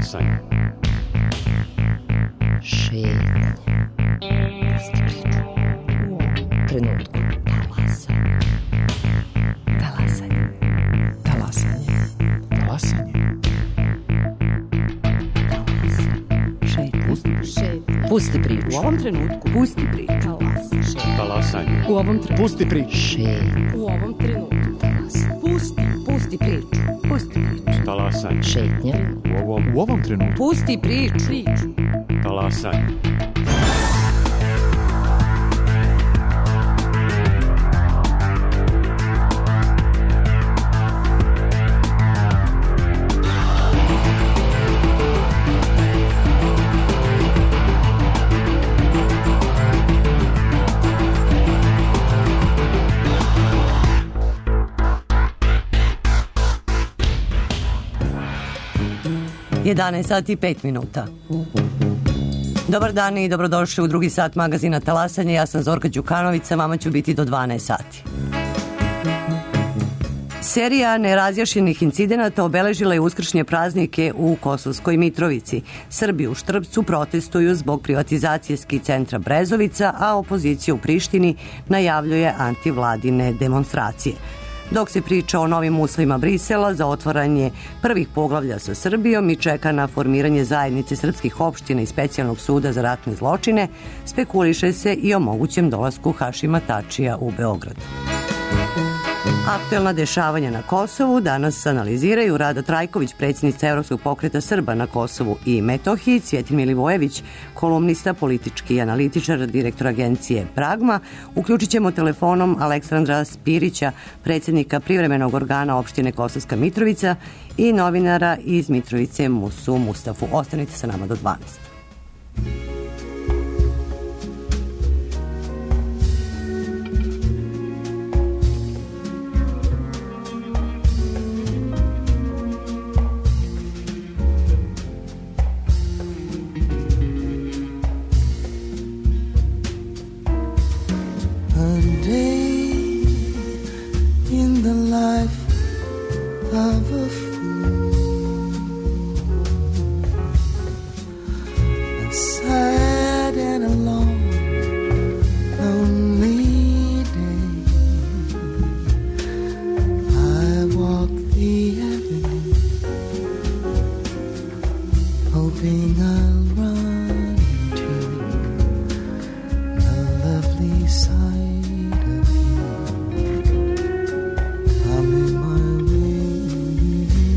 Talasanje. Šetnja. Pusti priču. Trenutku. Talasanje. Talasanje. Talasanje. Pusti priču. U ovom trenutku. Pusti priču. Talasanje. U ovom trenutku. Pusti priču. U ovom trenutku. Pusti priču. Pusti priču. Talasanje. Šetnja. U ovom trenutku. Pusti priču. Talasanje. Jedanaest sati i 5 minuta. Dobar dan i dobrodošli u drugi sat magazina Talasanje. Ja sam Zorka Đukanović, sa vama ću biti do 12 sati. Serija nerazjašnjenih incidenata obeležila je uskršnje praznike u Kosovskoj Mitrovici. Srbi u Štrpcu protestuju zbog privatizacije ski centra Brezovica, a opozicija u Prištini najavljuje antivladine demonstracije. Dok se priča o novim uslovima Brisela za otvaranje prvih poglavlja sa Srbijom i čeka na formiranje zajednice srpskih opština i specijalnog suda za ratne zločine, spekuliše se i o mogućem dolasku Hašima Tačija u Beograd. Aktuelna dešavanja na Kosovu danas analiziraju Rada Trajković, predsjednica Evropskog pokreta Srba na Kosovu i Metohiji, Cvjetin Milivojević, kolumnista, politički analitičar, direktor agencije Pragma. Uključit ćemo telefonom Aleksandra Spirića, predsjednika privremenog organa opštine Kosovska Mitrovica i novinara iz Mitrovice Musu Mustafu. Ostanite sa nama do 12. I'm in my room.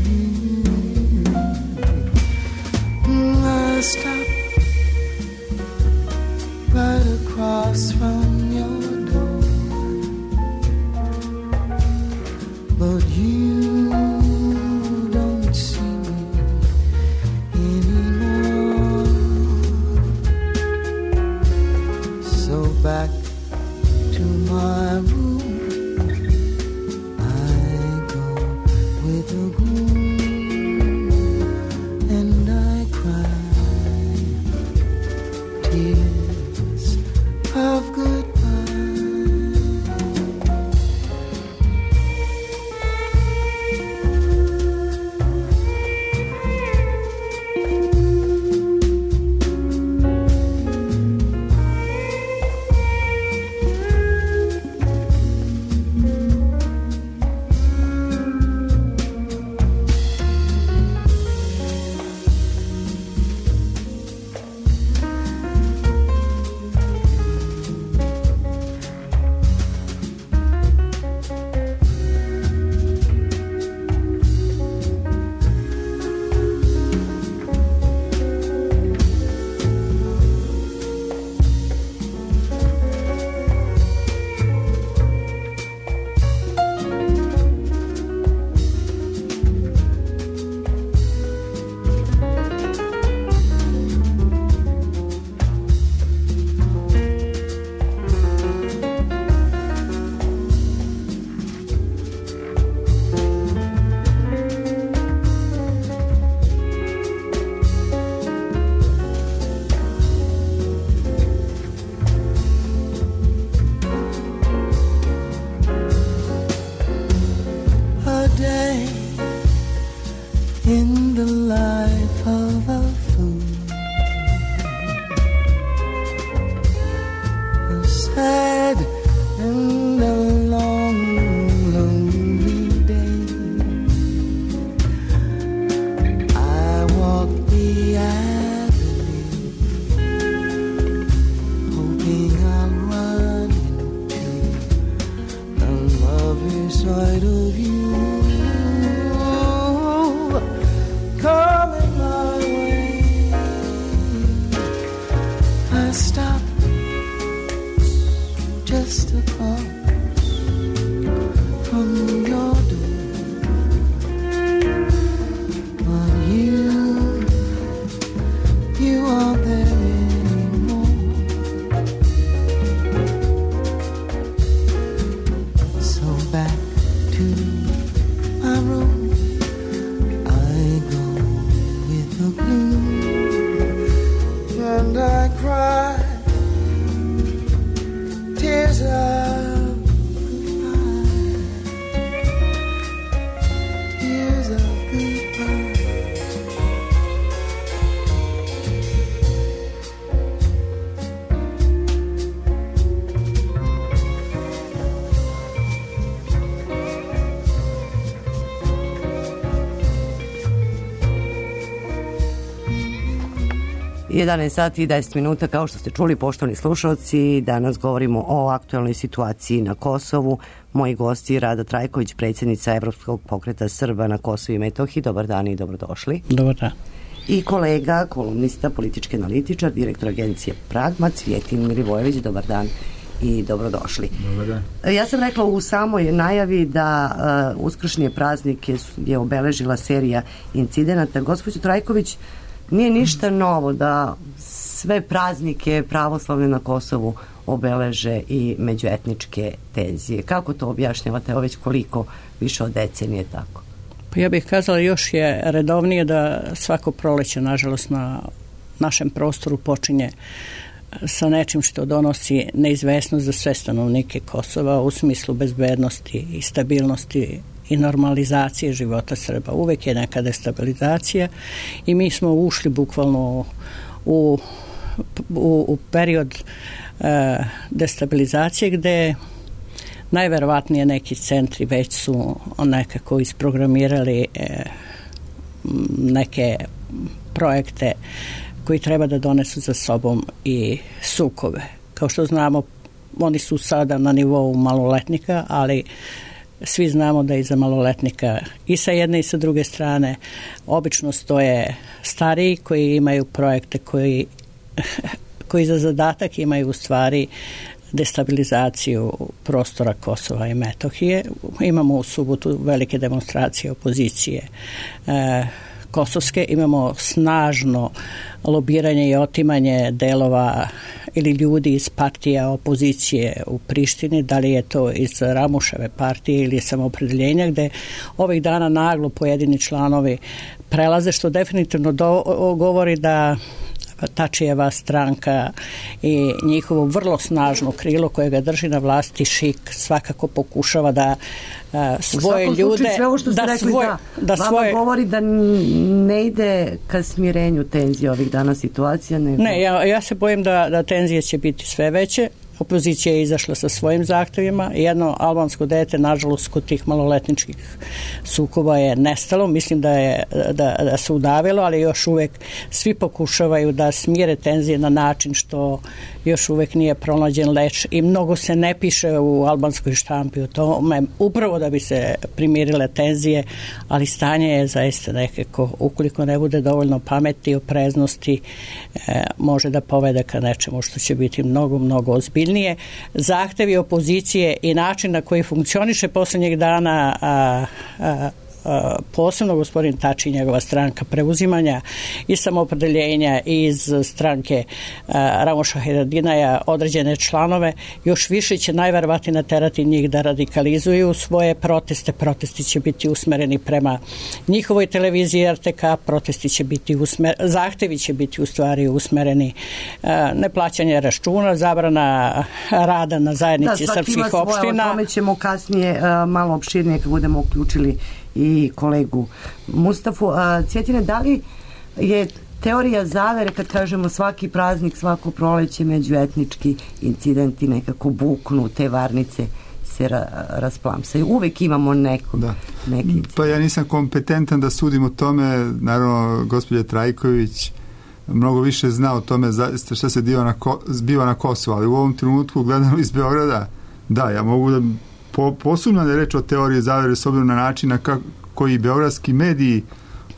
sight of you coming my way. I stopped just across from your door, but you aren't there anymore. So back to my room I go with the gloom, and I cry tears of goodbye, tears of goodbye. Jedan sat i 10 minuta, kao što ste čuli, poštovani slušalci, danas govorimo o aktualnoj situaciji na Kosovu. Moji gosti Rada Trajković, predsjednica Evropskog pokreta Srba na Kosovu i Metohiji. Dobar dan i dobrodošli. Dobar dan. I kolega, kolumnista, politički analitičar, direktor agencije Pragma, Cvjetin Milivojević. Dobar dan i dobrodošli. Dobar dan. Ja sam rekla u samoj najavi da uskršnje praznike je obeležila serija incidenata. Gospođo Trajković, nije ništa novo da sve praznike pravoslavne na Kosovu obeleže i međuetničke tenzije. Kako to objašnjavate? Evo već koliko više od decenije tako? Pa ja bih kazala još je redovnije da svako proleće, nažalost, na našem prostoru počinje sa nečim što donosi neizvesnost za sve stanovnike Kosova u smislu bezbednosti i stabilnosti i normalizacije života Srba. Uvek je neka destabilizacija i mi smo ušli bukvalno u period destabilizacije gde najverovatnije neki centri već su nekako isprogramirali neke projekte koji treba da donesu za sobom i sukobe. Kao što znamo, oni su sada na nivou maloletnika, ali svi znamo da iza maloletnika i sa jedne i sa druge strane obično stoje stariji koji imaju projekte koji za zadatak imaju u stvari destabilizaciju prostora Kosova i Metohije. Imamo u subotu velike demonstracije opozicije kosovske, imamo snažno lobiranje i otimanje delova ili ljudi iz partija opozicije u Prištini, da li je to iz Ramuševe partije ili Samoopredeljenja, gde ovih dana naglo pojedini članovi prelaze, što definitivno govori da Tačijeva stranka i njihovo vrlo snažno krilo koje ga drži na vlasti, ŠIK, svakako pokušava da svoje ljude... Sve ovo što ste rekli, vama govori da ne ide ka smirenju tenzije ovih dana situacija. Ne, ja se bojim da tenzije će biti sve veće. Opozicija je izašla sa svojim zahtevima. Jedno albansko dete, nažalost, kod tih maloletničkih sukoba je nestalo. Mislim da se udavilo, ali još uvek svi pokušavaju da smire tenzije na način što još uvek nije pronađen leč i mnogo se ne piše u albanskoj štampi o tome, upravo da bi se primirile tenzije, ali stanje je zaista nekako, ukoliko ne bude dovoljno pameti i opreznosti, može da povede ka nečemu što će biti mnogo, mnogo ozbiljnije. Zahtevi opozicije i način na koji funkcioniše poslednjeg dana posebno gospodin Tači i njegova stranka preuzimanja i Samoopredeljenja iz stranke Ramuša Haradinaja određene članove, još više će najverovatnije naterati njih da radikalizuju svoje proteste. Protesti će biti usmereni prema njihovoj televiziji RTK, protesti će biti zahtevi će biti u stvari usmereni neplaćanje računa, zabrana rada na zajednici srpskih opština. O tome ćemo kasnije malo opširnije kad budemo uključili i kolegu Mustafu. Cvjetine, da li je teorija zavere kad kažemo svaki praznik, svako proleće, međuetnički incidenti nekako buknu, te varnice se rasplamsaju? Uvek imamo neki incident. Pa ja nisam kompetentan da sudim o tome. Naravno, gospođa Trajković mnogo više zna o tome šta se zbiva na Kosovu, ali u ovom trenutku gledano iz Beograda, da, ja mogu da posumnja da je reč o teoriji zavere s obzirom na način koji beogradski mediji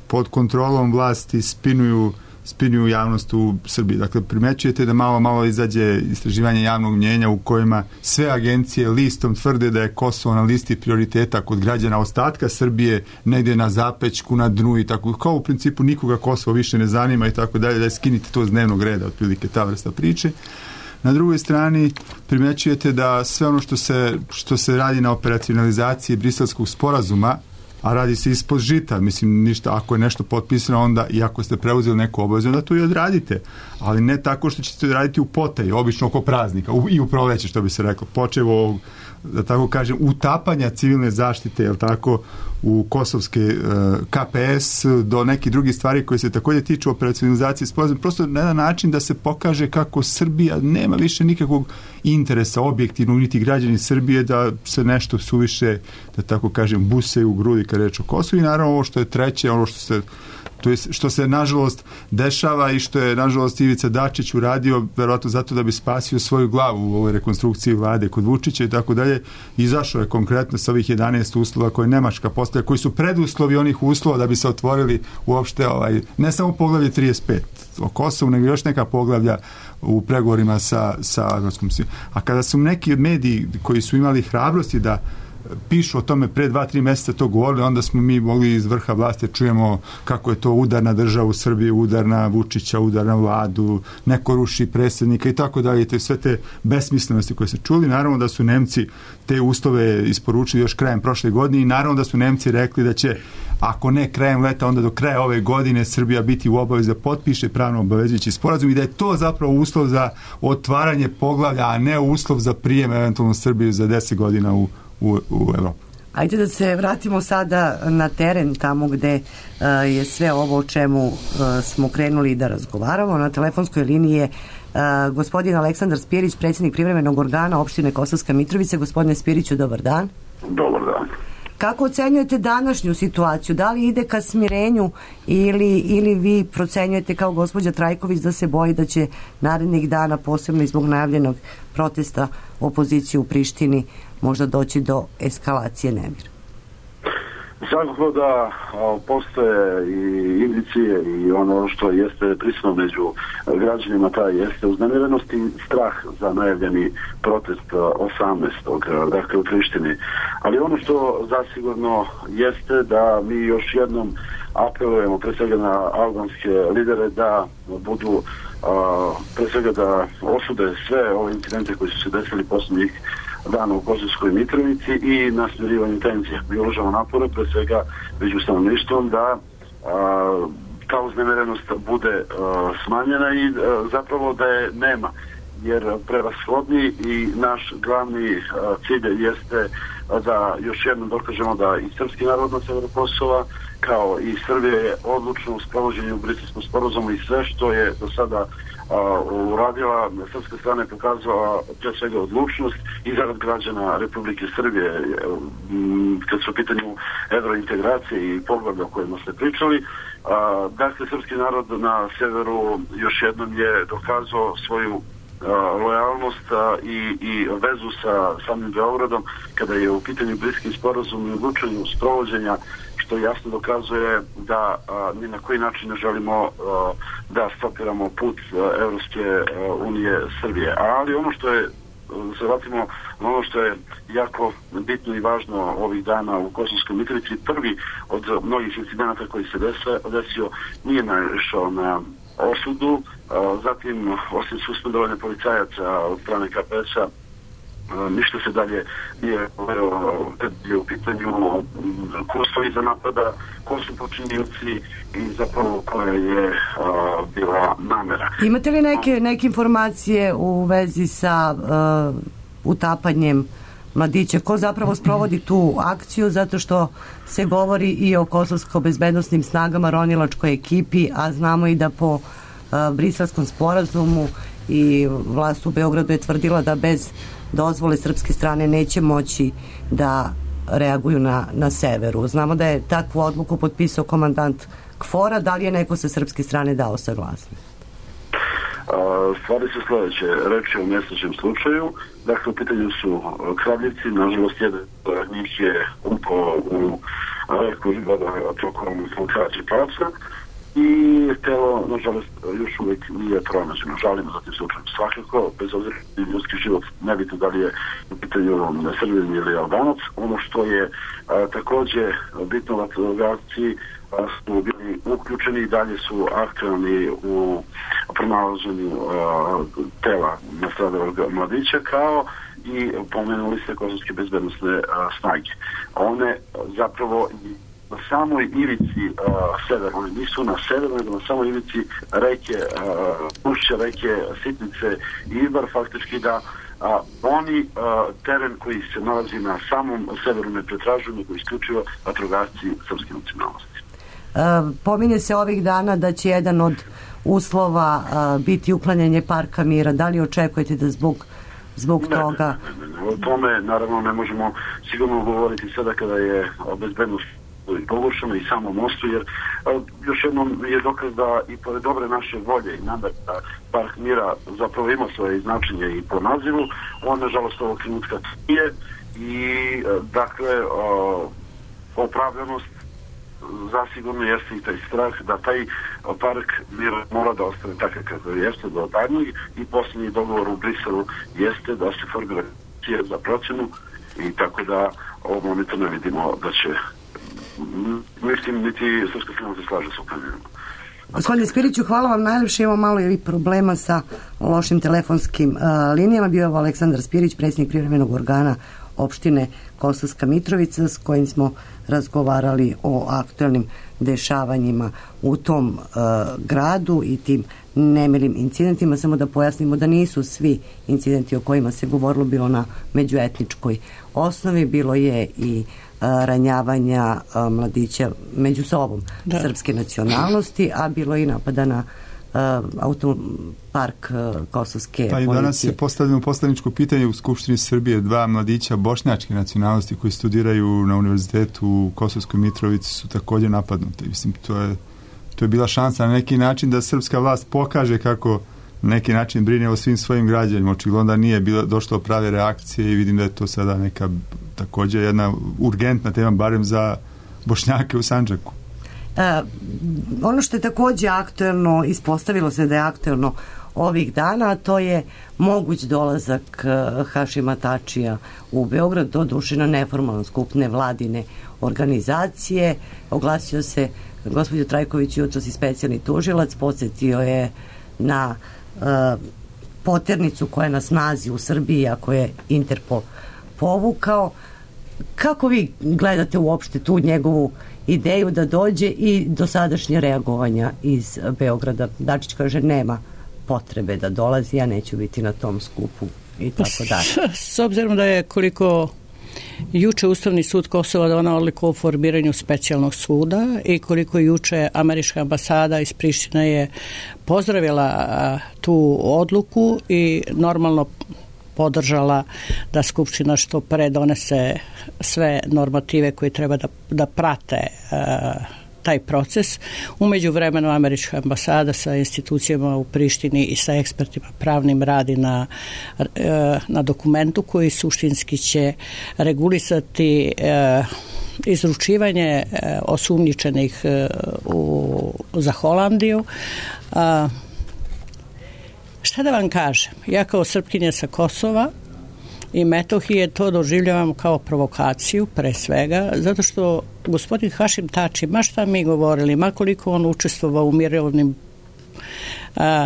pod kontrolom vlasti spinuju javnost u Srbiji. Dakle, primećujete da malo izađe istraživanje javnog mnjenja u kojima sve agencije listom tvrde da je Kosovo na listi prioriteta kod građana ostatka Srbije, negdje na zapećku, na dnu i tako. Kao u principu nikoga Kosovo više ne zanima i tako dalje, da je skinite to s dnevnog reda, otprilike ta vrsta priče. Na drugoj strani primećujete da sve ono što se radi na operacionalizaciji Briselskog sporazuma, a radi se ispod žita, mislim, ništa, ako je nešto potpisano, onda i ako ste preuzeli neku obavezu, onda to i odradite, ali ne tako što ćete raditi u potaji, obično oko praznika i u proleće, što bi se reklo, počevo ovog, da tako kažem, utapanja civilne zaštite, jel tako, u kosovske KPS do nekih drugih stvari koje se također tiču operacionalizacije sporazuma, prosto na jedan način da se pokaže kako Srbija nema više nikakvog interesa objektivnog, niti građani Srbije da se nešto suviše, da tako kažem, busaju u grudi kad reč o Kosovu. I naravno ovo što je treće, ono što se nažalost dešava i što je nažalost Ivica Dačić uradio verovatno zato da bi spasio svoju glavu u ovoj rekonstrukciji vlade kod Vučića i tako dalje, izašao je konkretno sa ovih 11 uslova koje Nemačka postavlja, koji su preduslovi onih uslova da bi se otvorili uopšte ne samo poglavlje 35 o Kosovu, nego još neka poglavlja u pregovorima sa Evropskom unijom. A kada su neki mediji koji su imali hrabrosti da pišu o tome pre 2-3 mjeseca to govorili, onda smo mi mogli iz vrha vlasti čujemo kako je to udar na državu Srbiju, udar na Vučića, udar na vladu, neko ruši predsjednika i tako dalje. To je sve te besmislenosti koje se čuli. Naravno da su Nemci te uslove isporučili još krajem prošle godine i naravno da su Nemci rekli da će, ako ne krajem leta, onda do kraja ove godine Srbija biti u obavezi da potpiše pravno obavezujući sporazum i da je to zapravo uslov za otvaranje poglavlja, a ne uslov za prijem eventualno Srbiju za 10 godina u Evropu. Ajde da se vratimo sada na teren, tamo gde je sve ovo o čemu smo krenuli da razgovaramo. Na telefonskoj liniji je gospodin Aleksandar Spirić, predsjednik privremenog organa opštine Kosovska Mitrovica. Gospodine Spiriću, dobar dan. Dobar dan. Kako ocenjujete današnju situaciju? Da li ide ka smirenju ili vi procenjujete kao gospođa Trajković da se boji da će narednih dana, posebno i zbog najavljenog protesta opozicije u Prištini, možda doći do eskalacije nemira? Svakako da postoje i indicije i ono što jeste prisutno među građanima, taj jeste uznemirenost i strah za najavljeni protest 18. dakle u Prištini. Ali ono što zasigurno jeste da mi još jednom apelujemo pre svega na albanske lidere da budu pre svega da osude sve ove incidente koji su se desili posljednjih dana u Kosovskoj Mitrovici i na smirivanju tenzija. Mi uložamo napore pre svega među stanovništvom da ta uznemerenost bude smanjena i zapravo da je nema. Jer prevashodni i naš glavni cilj jeste da još jednom dokažemo da i srpski narod na severu Kosova kao i Srbija je odlučno u sprovođenju Briselskom sporazumu i sve što je do sada uradila, srpska strana je pokazala pre svega odlučnost i zarad građana Republike Srbije kad su u pitanju evrointegracije i poglavlja o kojima ste pričali. Dakle, srpski narod na severu još jednom je dokazao svoju lojalnost i vezu sa samim Beogradom kada je u pitanju Briselski sporazum i odlučenju sprovođenja, što jasno dokazuje da ni na koji način ne želimo da stopiramo put Evropske unije Srbije. Ali ono što je, se vratimo na ono što je jako bitno i važno ovih dana u Kosovskoj Mitrovici, prvi od mnogih incidenata koji se desio nije naišao na osudu, zatim osim suspendovanja policajaca od strane KPS-a ništa se dalje nije govorilo kad je u pitanju ko stoji za napada, ko su počinioci i zapravo koja je bila namera. Imate li neke informacije u vezi sa utapanjem mladića? Ko zapravo sprovodi tu akciju? Zato što se govori i o kosovsko-bezbednostnim snagama, ronilačkoj ekipi, a znamo i da po Briselskom sporazumu i vlast u Beogradu je tvrdila da bez dozvole srpske strane neće moći da reaguju na severu. Znamo da je takvu odluku potpisao komandant KFOR-a. Da li je neko sa srpske strane dao saglasnost? Stvari su sljedeće, reč je o nesrećnom slučaju, dakle u pitanju su kradljivci, nažalost jedan od njih je upao u reku Ribada tokom filtracije pravca i telo, nažalost, još uvijek nije pronađeno. Žalimo za tim slučajem svakako, bez obzira na ljudski život, nebitno da li je u pitanju Srbin ili Albanac. Ono što je također bitno, vatrogasci su bili uključeni i dalje su aktivni u pronalaženju tela nastradalog mladića, kao i pomenuli se kosovske bezbednosne snage. One zapravo na samoj ivici severa, oni nisu na severu, nego na samoj ivici reke, ušće reke Sitnice i Ibar, faktički da oni teren koji se nalazi na samom severu ne pretražuju, nego isključivo vatrogasci srpske nacionalnosti. Pominje se ovih dana da će jedan od uslova biti uklanjanje Parka mira. Da li očekujete da zbog toga? Ne. O tome naravno ne možemo sigurno govoriti sada kada je bezbednost pogoršano i samo mostu, jer još jednom je dokaz da i pored dobre naše volje i namere da Park mira zapravo ima svoje značenje i po nazivu, on nažalost ovog trenutka nije i dakle opravdanost zasigurno jeste i taj strah da taj Park mira mora da ostane takav kako jeste do daljnjeg i posljednji dogovor u Briselu jeste da se formira komisija za procjenu i tako da ovog momenta ne vidimo da će mislim niti srpska strana se slaže sa uklanjanjem. Gospodine Spiriću, hvala vam najljepše. Imamo malo ili problema sa lošim telefonskim linijama. Bio je ovo Aleksandar Spirić, predsjednik privremenog organa opštine Kosovska Mitrovica, s kojim smo razgovarali o aktualnim dešavanjima u tom gradu i tim nemilim incidentima. Samo da pojasnimo da nisu svi incidenti o kojima se govorilo bilo na međuetničkoj osnovi, bilo je i ranjavanja mladića među sobom srpske nacionalnosti, a bilo je i napada na autopark kosovske policije. Danas je postavljeno poslaničko pitanje u Skupštini Srbije. 2 mladića bošnjačke nacionalnosti koji studiraju na univerzitetu u Kosovskoj Mitrovici su također napadnuti. Mislim, to je bila šansa na neki način da srpska vlast pokaže kako na neki način brine o svim svojim građanima. Očigledno da nije došlo prave reakcije i vidim da je to sada neka također jedna urgentna tema, barem za Bošnjake u Sandžaku. Ono što je također aktuelno, ispostavilo se da je aktuelno ovih dana, a to je moguć dolazak Hašima Tačija u Beograd, doduše na neformalan skup nevladine organizacije. Oglasio se gospođo Trajković jutros i specijalni tužilac, podsjetio je na poternicu koja je na snazi u Srbiji, ako je Interpol povukao. Kako vi gledate uopšte tu njegovu ideju da dođe i dosadašnje reagovanja iz Beograda? Dačić kaže nema potrebe da dolazi, ja neću biti na tom skupu i tako dalje. S obzirom da je koliko juče Ustavni sud Kosova donao odluku o formiranju specijalnog suda i koliko juče američka ambasada iz Prištine je pozdravila tu odluku i normalno podržala da Skupština što pre donese sve normative koje treba da prate taj proces. U međuvremenu američka ambasada sa institucijama u Prištini i sa ekspertima pravnim radi na dokumentu koji suštinski će regulisati izručivanje osumnjičenih za Holandiju. Šta da vam kažem? Ja kao Srpkinja sa Kosova i Metohije to doživljavam kao provokaciju pre svega, zato što gospodin Hašim Tači, ma šta mi govorili, ma koliko on učestvovao u mirovnim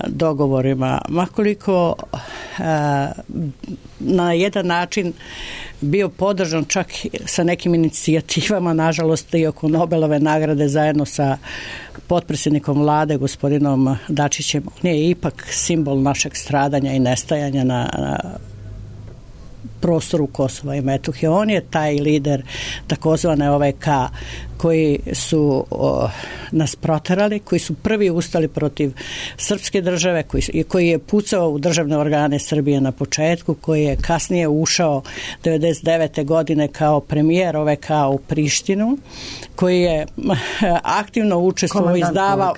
dogovorima, ma koliko na jedan način bio podržan čak sa nekim inicijativama, nažalost i oko Nobelove nagrade zajedno sa potpredsjednikom vlade gospodinom Dačićem, on je ipak simbol našeg stradanja i nestajanja prostoru Kosova i Metohije. On je taj lider takozvane OVK koji su nas proterali, koji su prvi ustali protiv srpske države, koji je pucao u državne organe Srbije na početku, koji je kasnije ušao 99. godine kao premijer OVK u Prištinu, koji je aktivno učestvovao i izdavao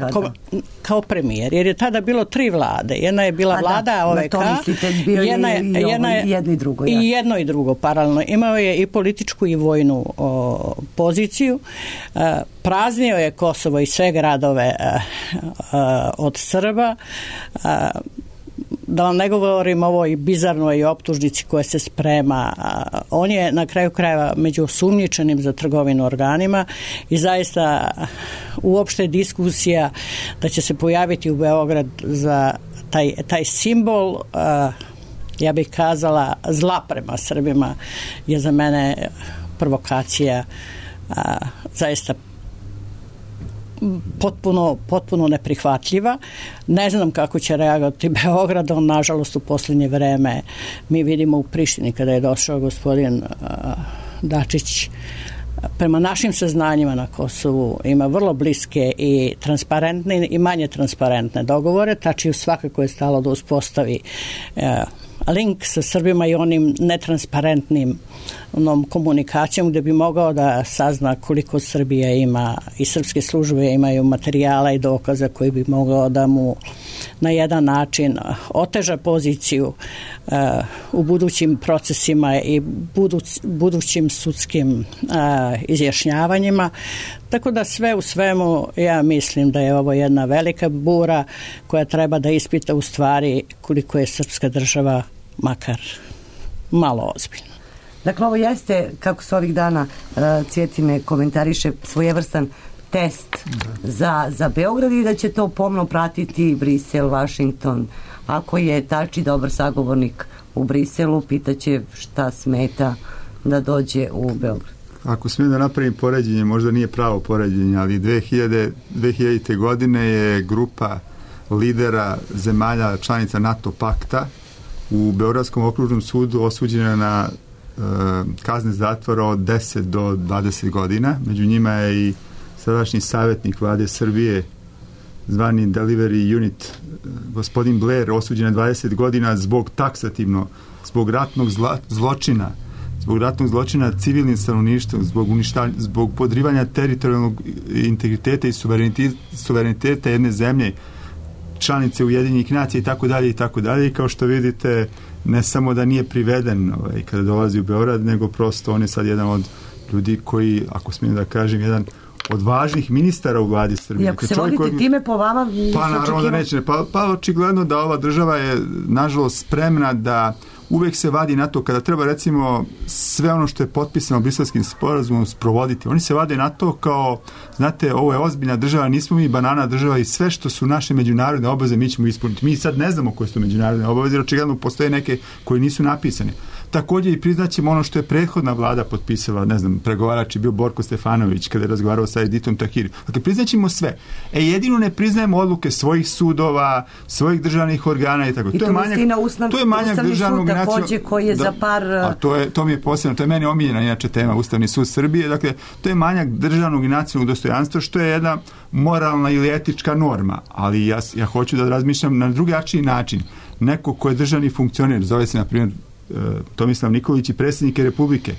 kao premijer, jer je tada bilo 3 vlade. Jedna je bila vlada OVK, i jedno i drugo paralelno. Imao je i političku i vojnu poziciju. Praznio je Kosovo i sve gradove od Srba. Da vam ne govorim ovoj bizarnoj optužnici koja se sprema. On je na kraju krajeva među osumnjičenim za trgovinu organima i zaista uopšte diskusija da će se pojaviti u Beograd za taj simbol, ja bih kazala, zla prema Srbima, je za mene provokacija zaista potpuno neprihvatljiva. Ne znam kako će reagovati Beograd. On, nažalost, u posljednje vreme mi vidimo u Prištini kada je došao gospodin Dačić, prema našim saznanjima na Kosovu ima vrlo bliske i transparentne i manje transparentne dogovore. Tačiju svakako je stalo da uspostavi link sa Srbima i onim netransparentnim komunikacijom gdje bi mogao da sazna koliko Srbija ima i srpske službe imaju materijala i dokaza koji bi mogao da mu na jedan način oteža poziciju u budućim procesima i budućim sudskim izjašnjavanjima. Tako da sve u svemu ja mislim da je ovo jedna velika bura koja treba da ispita u stvari koliko je srpska država makar malo ozbiljna. Dakle, ovo jeste, kako se ovih dana Cvjetine komentariše, svojevrstan test za Beograd i da će to pomno pratiti Brisel, Washington. Ako je Tači dobar sagovornik u Briselu, pitaće šta smeta da dođe u Beograd. Ako smijem da napravim poređenje, možda nije pravo poređenje, ali 2000. godine je grupa lidera zemalja članica NATO pakta u Beogradskom okružnom sudu osuđena na kazne zatvora od 10 do 20 godina. Među njima je i sadašnji savjetnik vlade Srbije, zvani Delivery Unit, gospodin Blair, osuđen na 20 godina zbog taksativno, zbog ratnog zločina civilnim stanovništvom, zbog podrivanja teritorijalnog integriteta i suvereniteta jedne zemlje, članice Ujedinjenih nacija i tako dalje i tako dalje. I kao što vidite, ne samo da nije priveden kada dolazi u Beograd, nego prosto on je sad jedan od ljudi koji, ako smijem da kažem, jedan od važnih ministara u vladi Srbije. I ako se vodite time po vama... Pa naravno da neće. Pa očigledno da ova država je nažalost spremna da uvek se vadi na to kada treba recimo sve ono što je potpisano Briselskim sporazumom sprovoditi. Oni se vade na to kao, znate, ovo je ozbiljna država, nismo mi banana država i sve što su naše međunarodne obaveze mi ćemo ispuniti. Mi sad ne znamo koje su međunarodne obaveze, jer očigledno postoje neke koje nisu napisane. Također i priznaćemo ono što je prethodna vlada potpisala, ne znam, pregovarač je bio Borko Stefanović kada je razgovarao sa Editom Tahiri. Dakle, priznaćemo sve. Jedino ne priznajemo odluke svojih sudova, svojih državnih organa i tako. I to je manjak državnog također koji je za par... A to mi je posebno, to je meni omiljena inače tema, Ustavni sud Srbije. Dakle, to je manjak državnog i nacionalnog dostojanstva, što je jedna moralna ili etička norma. Ali ja hoću da razmišljam na drugačiji način. Neko ko je državni funkcioner, zove se na primjer Tomislav Nikolić i predsjednik Republike,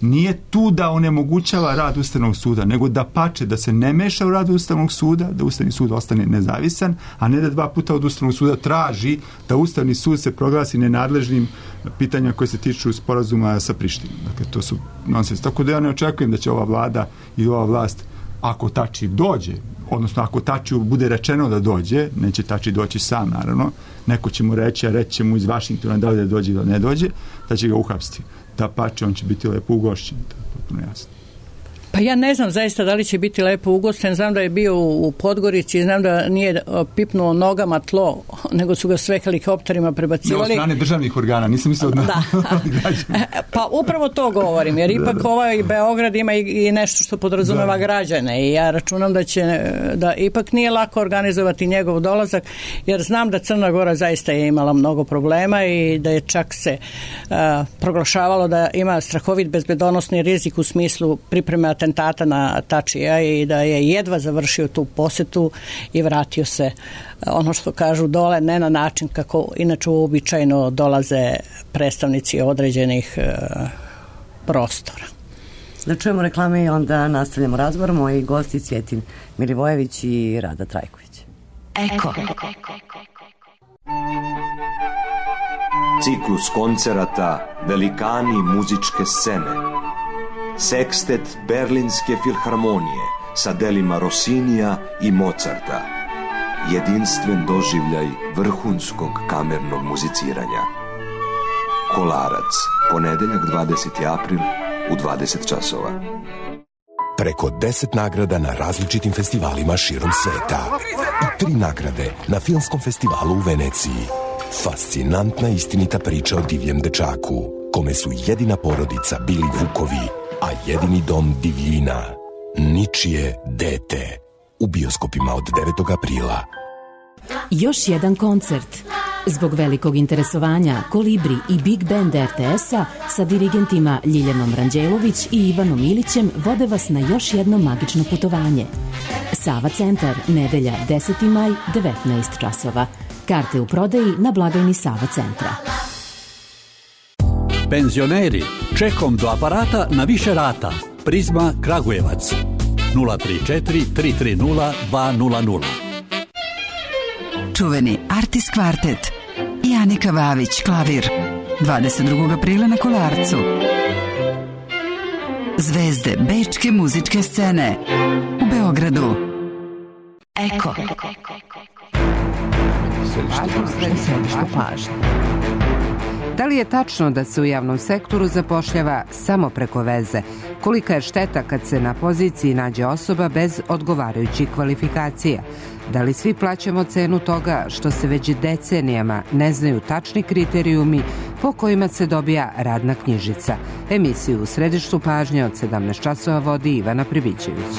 nije tu da onemogućava rad Ustavnog suda, nego da pače, da se ne meša u rad Ustavnog suda, da Ustavni sud ostane nezavisan, a ne da 2 puta od Ustavnog suda traži da Ustavni sud se proglasi nenadležnim pitanjima koje se tiču sporazuma sa Prištinom. Dakle, to su nonsens. Tako da ja ne očekujem da će ova vlada i ova vlast, ako Tači dođe, odnosno ako Tačiju bude rečeno da dođe, neće Tači doći sam, naravno, neko će mu reći, a reći će mu iz Vašingtona da li da dođe ili ne dođe, da će ga uhapsiti. Da pače, on će biti lepo ugošćen, to je potpuno jasno. Pa ja ne znam zaista da li će biti lepo ugosten, znam da je bio u Podgorici, znam da nije pipnuo nogama tlo, nego su ga sve helikopterima prebacivali. Ne od strane državnih organa, nisam mislio od da. Pa upravo to govorim, jer ipak ovaj Beograd ima i nešto što podrazumeva građane i ja računam da ipak nije lako organizovati njegov dolazak, jer znam da Crna Gora zaista je imala mnogo problema i da je čak se proglašavalo da ima strahovit bezbedonosni rizik u smislu pripreme atentata na Tačija i da je jedva završio tu posetu i vratio se, ono što kažu, dole, ne na način kako inače uobičajeno dolaze predstavnici određenih prostora. Da čujemo reklame i onda nastavljamo razgovor. Moji gosti Cvjetin Milivojević i Rada Trajković. Eko. Ciklus koncerata Velikani muzičke scene. Sekstet Berlinske filharmonije sa delima Rossinija i Mozarta. Jedinstven doživljaj vrhunskog kamernog muziciranja. Kolarac, ponedeljak 20. april u 20 časova. Preko 10 nagrada na različitim festivalima širom sveta. I 3 nagrade na Filmskom festivalu u Veneciji. Fascinantna istinita priča o divljem dečaku, kome su jedina porodica bili vukovi, a jedini dom divljina. Ničije dete. U bioskopima od 9. aprila. Još jedan koncert. Zbog velikog interesovanja Kolibri i Big Band RTS-a sa dirigentima Ljiljanom Ranđelović i Ivanom Ilićem vode vas na još jedno magično putovanje. Sava centar, nedelja 10. maj, 19 časova. Karte u prodaji na blagajni Sava centra. Penzioneri, čekom do aparata na više rata. Prizma Kragujevac 034 330 200. Čuveni Artis kvartet i Anika Vavić klavir 22. aprila na Kolarcu. Zvezde bečke muzičke scene u Beogradu. Eko. Središte pažnje. Da li je tačno da se u javnom sektoru zapošljava samo preko veze? Kolika je šteta kad se na poziciji nađe osoba bez odgovarajućih kvalifikacija? Da li svi plaćamo cenu toga što se već decenijama ne znaju tačni kriterijumi po kojima se dobija radna knjižica? Emisiju u središtu pažnje od 17 časova vodi Ivana Pribićević.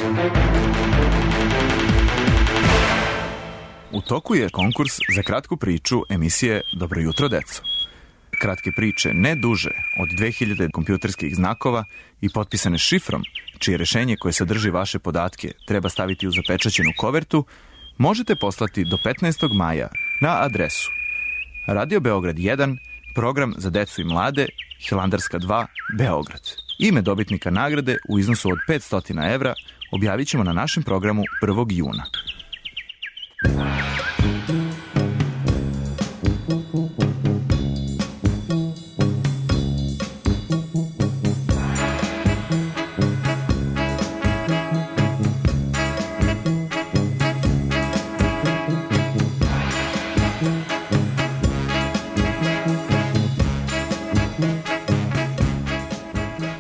U toku je konkurs za kratku priču emisije Dobro jutro, deco. Kratke priče ne duže od 2000 kompjuterskih znakova i potpisane šifrom, čije rešenje koje sadrži vaše podatke treba staviti u zapečaćenu kovertu, možete poslati do 15. maja na adresu Radio Beograd 1, program za decu i mlade, Hilandarska 2, Beograd. Ime dobitnika nagrade u iznosu od 500 evra objavit ćemo na našem programu 1. juna.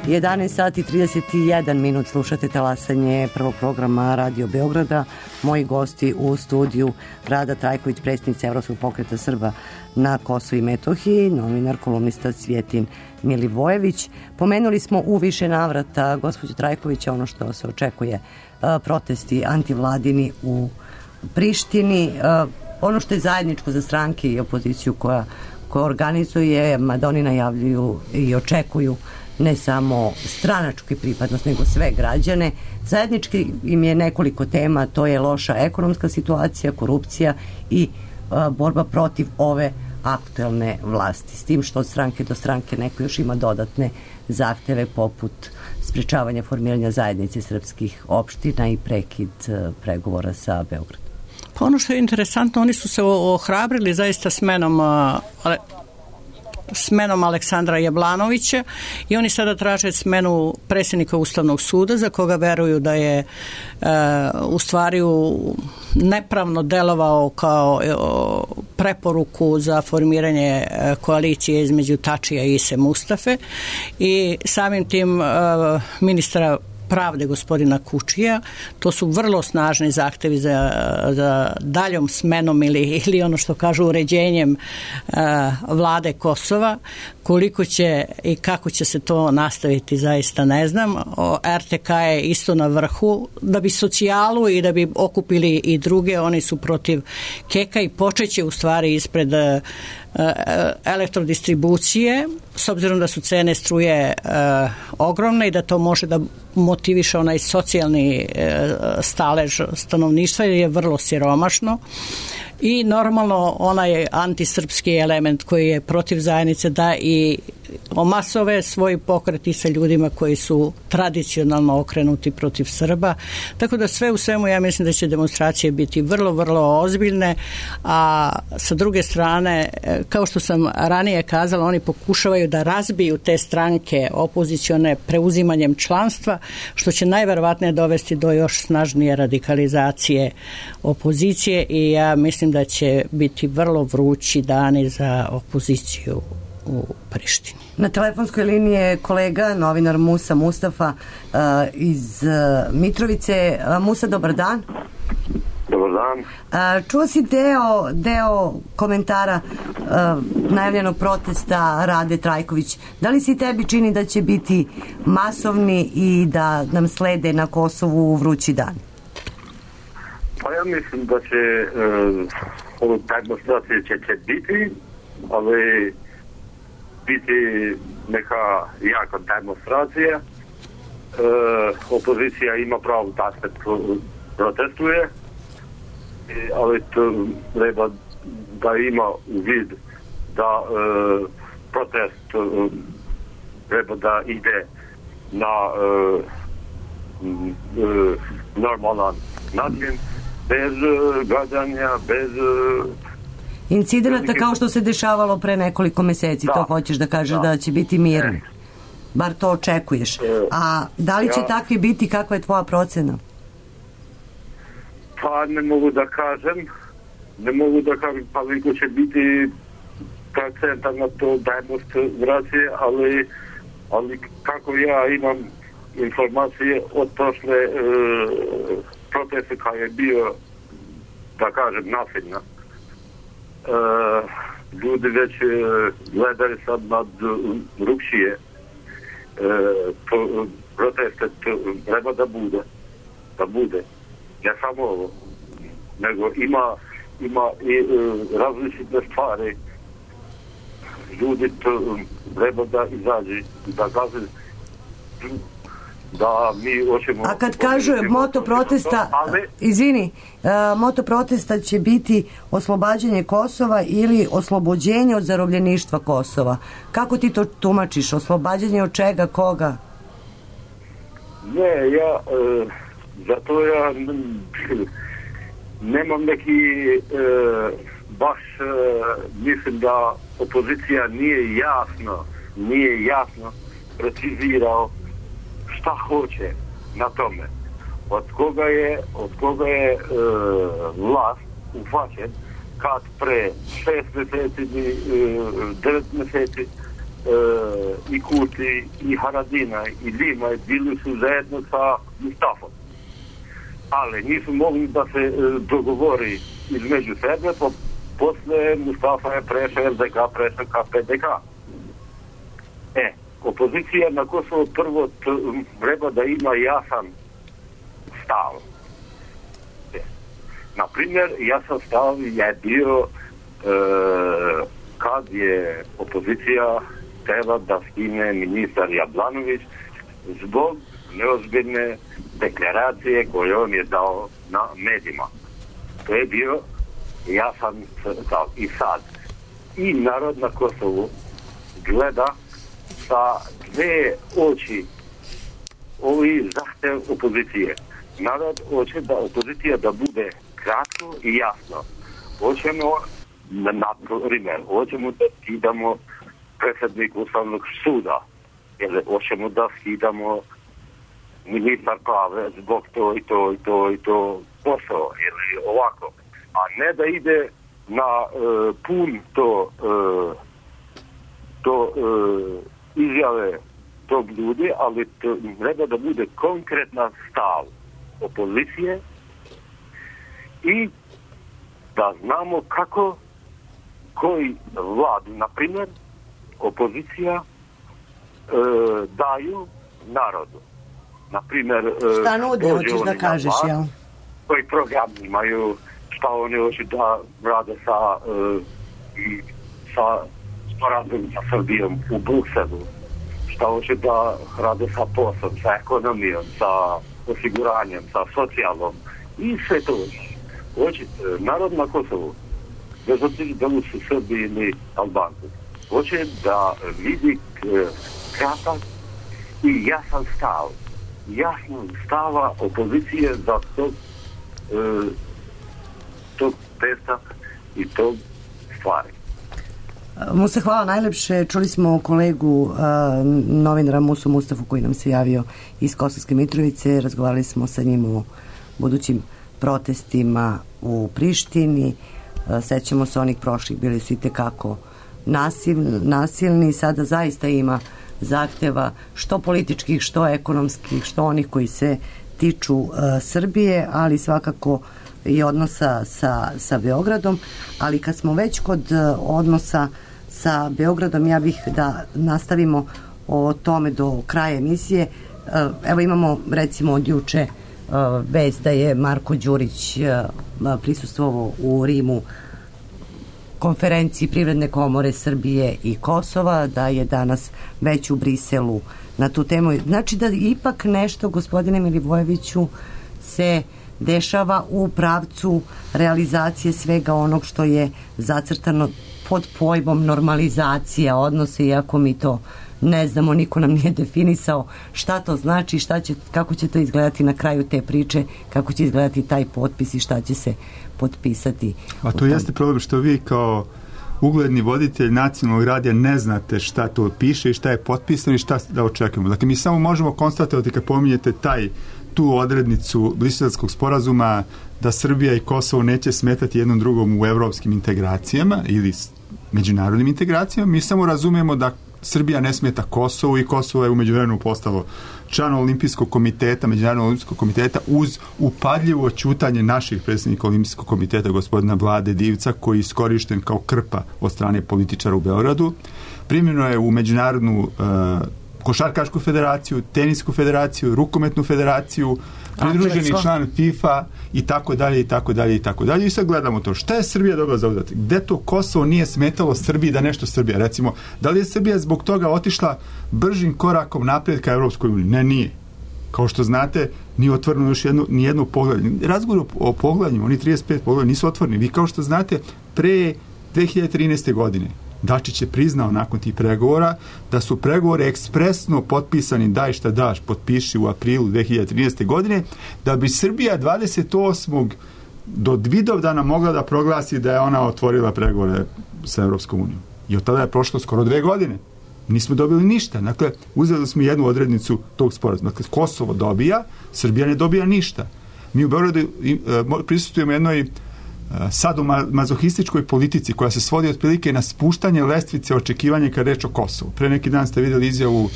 I 11 sati 31 minut slušate talasanje prvog programa Radio Beograda. Moji gosti u studiju Rada Trajković, predsjednica Evropskog pokreta Srba na Kosovu i Metohiji, novinar, kolumnista Cvjetin Milivojević. Pomenuli smo u više navrata, gospođo Trajković, ono što se očekuje, protesti antivladini u Prištini. Ono što je zajedničko za stranke i opoziciju koja organizuje, mada oni najavljuju i očekuju ne samo stranačku pripadnost, nego sve građane. Zajednički im je nekoliko tema, to je loša ekonomska situacija, korupcija i borba protiv ove aktuelne vlasti. S tim što od stranke do stranke neko još ima dodatne zahteve poput sprečavanja formiranja zajednice srpskih opština i prekid pregovora sa Beogradom. Pa ono što je interesantno, oni su se ohrabrili zaista smenom Aleksandra Jablanovića i oni sada traže smenu predsjednika Ustavnog suda, za koga veruju da je u stvari nepravno delovao kao preporuku za formiranje koalicije između Tačija i Ise Mustafe, i samim tim ministra pravde gospodina Kučija. To su vrlo snažni zahtevi za daljom smenom ili ono što kažu uređenjem vlade Kosova. Koliko će i kako će se to nastaviti zaista ne znam. RTK je isto na vrhu. Da bi socijalu i da bi okupili i druge, oni su protiv Keka i počeće u stvari ispred elektrodistribucije, s obzirom da su cene struje ogromne i da to može da motiviše onaj socijalni stalež stanovništva jer je vrlo siromašno. I normalno onaj antisrpski element koji je protiv zajednice da i omasove svoj pokret i sa ljudima koji su tradicionalno okrenuti protiv Srba. Tako da sve u svemu ja mislim da će demonstracije biti vrlo, vrlo ozbiljne, a sa druge strane, kao što sam ranije kazala, oni pokušavaju da razbiju te stranke opozicione preuzimanjem članstva, što će najverovatnije dovesti do još snažnije radikalizacije opozicije i ja mislim da će biti vrlo vrući dani za opoziciju u Prištini. Na telefonskoj liniji je kolega, novinar Musa Mustafa iz Mitrovice. Musa, dobar dan. Dobar dan. Čuo si deo komentara najavljenog protesta Rade Trajković. Da li si tebi čini da će biti masovni i da nam slede na Kosovu vrući dan? Pa ja mislim da će ove demonstracije će biti, ali biti neka jaka demonstracija. Opozicija ima pravo da se protestuje, ali to treba da ima u vid da protest treba da ide na normalan način, bez gađanja, bez incidenata kao što se dešavalo pre nekoliko meseci. Da. To hoćeš da kažeš da će biti mirno. Bar to očekuješ. A da li će takvi biti, kakva je tvoja procena? Pa ne mogu da kažem koliko će biti procentan na to demonstracije, ali kako ja imam informacije od prošle proteste kada je bio, da kažem, nasilna. Ljudi već gledali sad nad drugšije proteste, treba da bude. Ne samo ovo, nego ima i različite stvari. Ljudi treba da izađe, da kaže da mi hoćemo... A kad kažu moto protesta, moto protesta će biti oslobađanje Kosova ili oslobođenje od zarobljeništva Kosova. Kako ti to tumačiš? Oslobađanje od čega, koga? Ne, zato ja nemam neki baš mislim da opozicija nije jasno precizirao šta hoće na tome. Od koga je vlast uhvaćen kad pre 6 meseci i 9 meseci i Kurti i Haradina i Lima bili su zajedno sa Mustafom. Ali nisu mogli da se dogovori između sebe, posle Mustafa je prešao LDK, prešao ka PDK. Opozicija na Kosovo prvo treba da ima jasan stav. Naprimjer, jasan stav je bio kad je opozicija treba da skine ministar Jablanović zbog neozbiljne deklaracije koje on je dao na medijima. To je bio jasan stav. I sad, i narod na Kosovu gleda sa dve oči ovi zahtev opozicije. Narod hoće da opozicija da bude kratko i jasno. Hoćemo, na primjer, hoćemo da skidamo predsjednik Ustavnog suda, ili hoćemo da skidamo ministar prave zbog to i to posao, ili ovako. A ne da ide na pun to izjave tog ljudi, ali to treba da bude konkretna stav opozicije i da znamo kako koji vladu, na primjer, opozicija daju narodu. Na primjer, šta nude, hoćeš da kažeš, jel? Koji program imaju, šta oni hoće da rade sa sporazum sa Srbijom u Brukselu, šta hoće da rade sa poslom, sa ekonomijom, sa osiguranjem, sa socijalom i sve to. Hoće narod na Kosovu, bez obzira da li su Srbi ili Albanci, hoće da vidi kratak i jasan stav. Jasno stava opozicije za tog testa i tog stvari. Mu se hvala najlepše. Čuli smo kolegu novinara Musu Mustafu koji nam se javio iz Kosovske Mitrovice. Razgovarali smo sa njim o budućim protestima u Prištini. Sećamo se onih prošlih, bili su i tekako nasilni. Sada zaista ima zahteva što političkih, što ekonomskih, što onih koji se tiču Srbije, ali svakako i odnosa sa Beogradom. Ali kad smo već kod odnosa sa Beogradom, ja bih da nastavimo o tome do kraja emisije. Evo imamo recimo od juče vest da je Marko Đurić prisustvovao u Rimu konferenciji Privredne komore Srbije i Kosova, da je danas već u Briselu na tu temu. Znači da ipak nešto, gospodine Milivojeviću, se dešava u pravcu realizacije svega onog što je zacrtano pod pojmom normalizacija odnose, iako mi to ne znamo, niko nam nije definisao šta to znači, kako će to izgledati na kraju te priče, kako će izgledati taj potpis i šta će se potpisati. A to jeste problem što vi kao ugledni voditelj nacionalnog radija ne znate šta to piše i šta je potpisano i šta da očekujemo. Dakle, mi samo možemo konstatovati kad pominjete tu odrednicu Briselskog sporazuma da Srbija i Kosovo neće smetati jednom drugom u evropskim integracijama ili međunarodnim integracijama. Mi samo razumijemo da Srbija ne smeta Kosovu i Kosovo je u međuvremenu postalo član Olimpijskog komiteta, Međunarodnog olimpijskog komiteta, uz upadljivo ćutanje naših predsjednika Olimpijskog komiteta, gospodina Vlade Divca, koji je iskorišten kao krpa od strane političara u Beogradu. Primljeno je u Međunarodnu košarkašku federaciju, tenisku federaciju, rukometnu federaciju, pridruženi član FIFA i tako dalje i tako dalje i tako dalje. I sad gledamo to. Šta je Srbija dobila za udatak? Gde to Kosovo nije smetalo Srbiji da nešto Srbija? Recimo, da li je Srbija zbog toga otišla bržim korakom naprijed ka Evropskoj uniji? Ne, nije. Kao što znate, nije otvoreno još ni jedno poglavlje. Razgovor o poglavljima, oni 35 poglavlja nisu otvoreni. Vi kao što znate, pre 2013. godine Dačić je priznao nakon tih pregovora da su pregovori ekspresno potpisani, daj šta daš, potpiši u aprilu 2013. godine, da bi Srbija 28. do Vidovdana mogla da proglasi da je ona otvorila pregovore sa Evropskom unijom. I od tada je prošlo skoro 2 godine. Nismo dobili ništa. Dakle, uzeli smo jednu odrednicu tog sporazuma. Dakle, Kosovo dobija, Srbija ne dobija ništa. Mi u Beogradu prisustujemo jednoj sadomazohističkoj politici koja se svodi otprilike na spuštanje lestvice očekivanja kad reč o Kosovu. Pre neki dan ste vidjeli izjavu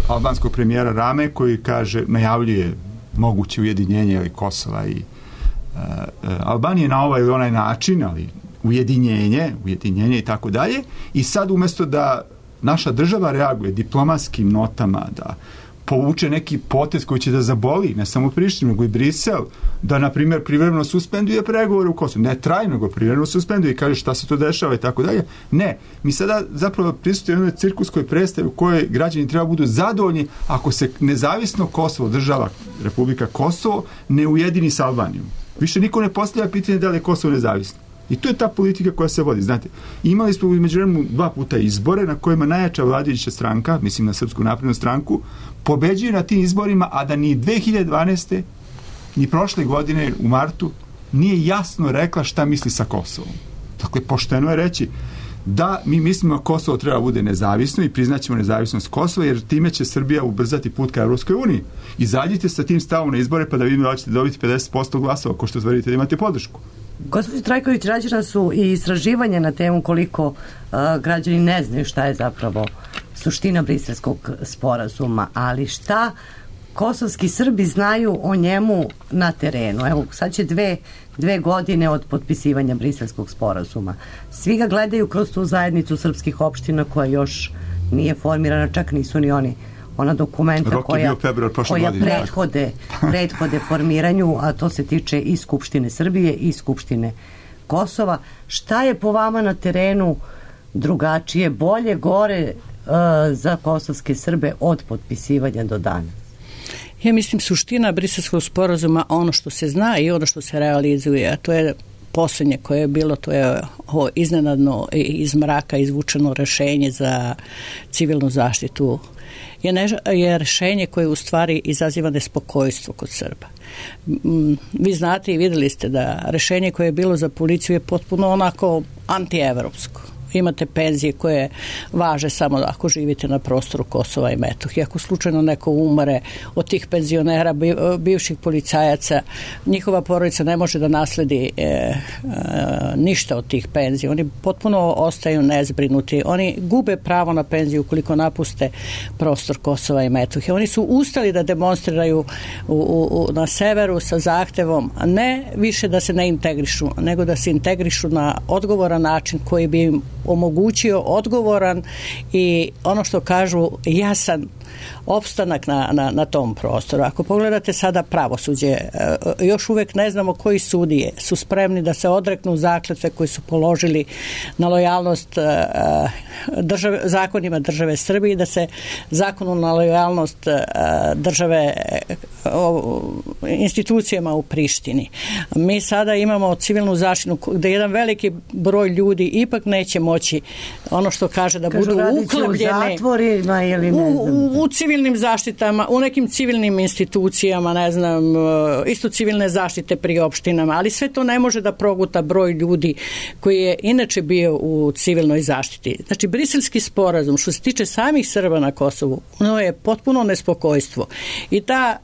albanskog premijera Rame koji kaže, najavljuje moguće ujedinjenje Kosova i Albanije na ovaj ili onaj način, ali ujedinjenje i tako dalje. I sad umjesto da naša država reaguje diplomatskim notama, da povuče neki potez koji će da zaboli ne samo Prištinu, nego i Brisel, da, na primjer, privremeno suspenduje pregovore u Kosovu. Ne trajno, nego privremeno suspenduje i kaže šta se to dešava i tako dalje. Ne, mi sada zapravo prisutujemo jednoj cirkuskoj predstavi u kojoj građani treba budu zadovoljni ako se nezavisno Kosovo, država Republika Kosovo, ne ujedini sa Albanijom. Više niko ne postavlja pitanje da li je Kosovo nezavisno. I to je ta politika koja se vodi. Znate, imali smo u međuvremenu 2 puta izbore na kojima najjača vladajuća stranka, mislim na Srpsku naprednu stranku, pobeđuje na tim izborima, a da ni 2012. ni prošle godine u martu nije jasno rekla šta misli sa Kosovom. Dakle, pošteno je reći da mi mislimo da Kosovo treba bude nezavisno i priznaćemo nezavisnost Kosova, jer time će Srbija ubrzati put ka Evropskoj uniji. Izađite sa tim stavom na izbore pa da vidimo da ćete dobiti 50% glasova, ko što tvrdite da imate podršku. Gospođo Trajković, rađena su i istraživanja na temu koliko građani ne znaju šta je zapravo suština Briselskog sporazuma, ali šta kosovski Srbi znaju o njemu na terenu? Evo, sad će dve godine od potpisivanja Briselskog sporazuma. Svi ga gledaju kroz tu zajednicu srpskih opština koja još nije formirana, čak nisu ni ona dokumenta koja prethode formiranju, a to se tiče i Skupštine Srbije i Skupštine Kosova. Šta je po vama na terenu drugačije, bolje, gore za kosovske Srbe od potpisivanja do danas? Ja mislim suština Briselskog sporazuma, ono što se zna i ono što se realizuje, a to je posljednje koje je bilo, to je ovo iznenadno iz mraka izvučeno rešenje za civilnu zaštitu, je rešenje koje u stvari izaziva nespokojstvo kod Srba. Vi znate i vidjeli ste da rešenje koje je bilo za policiju je potpuno onako antievropsko. Imate penzije koje važe samo ako živite na prostoru Kosova i Metohije. Ako slučajno neko umre od tih penzionera, bivših policajaca, njihova porodica ne može da nasledi ništa od tih penzija. Oni potpuno ostaju nezbrinuti. Oni gube pravo na penziju ukoliko napuste prostor Kosova i Metohije. Oni su ustali da demonstriraju na severu sa zahtevom ne više da se ne integrišu, nego da se integrišu na odgovoran način koji bi im omogućio odgovoran i ono što kažu jasan opstanak na tom prostoru. Ako pogledate sada pravosuđe, još uvek ne znamo koji sudije su spremni da se odreknu zakletve koji su položili na lojalnost zakonima države Srbije i da se zakonu na lojalnost države institucijama u Prištini. Mi sada imamo civilnu zaštitu gde jedan veliki broj ljudi ipak neće moći ono što kaže da budu uklopljeni u civilnim zaštitama, u nekim civilnim institucijama, ne znam, isto civilne zaštite pri opštinama, ali sve to ne može da proguta broj ljudi koji je inače bio u civilnoj zaštiti. Znači, Briselski sporazum, što se tiče samih Srba na Kosovu, ono je potpuno nespokojstvo. I ta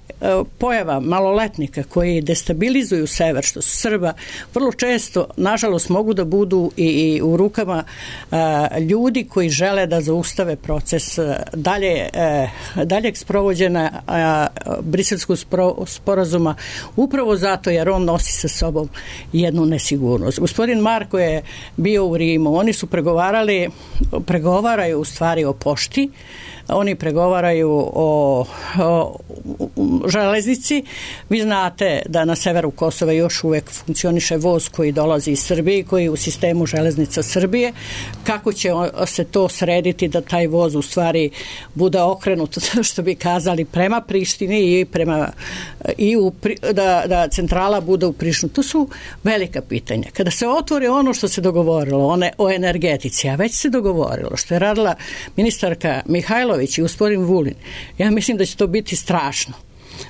pojava maloletnika koji destabilizuju sever, što su Srba, vrlo često, nažalost, mogu da budu i u rukama ljudi koji žele da zaustave proces daljeg sprovođenja Briselskog sporazuma, upravo zato jer on nosi sa sobom jednu nesigurnost. Gospodin Marko je bio u Rimu, oni su pregovaraju u stvari o pošti, oni pregovaraju o železnici. Vi znate da na severu Kosova još uvek funkcioniše voz koji dolazi iz Srbije, koji je u sistemu železnica Srbije. Kako će se to srediti da taj voz u stvari bude okrenut, što bi kazali, prema Prištini i da centrala bude u Prištini? To su velika pitanja. Kada se otvore ono što se dogovorilo o energetici, a već se dogovorilo, što je radila ministarka Mihajlović i gospodin Vulin, ja mislim da će to biti strašno.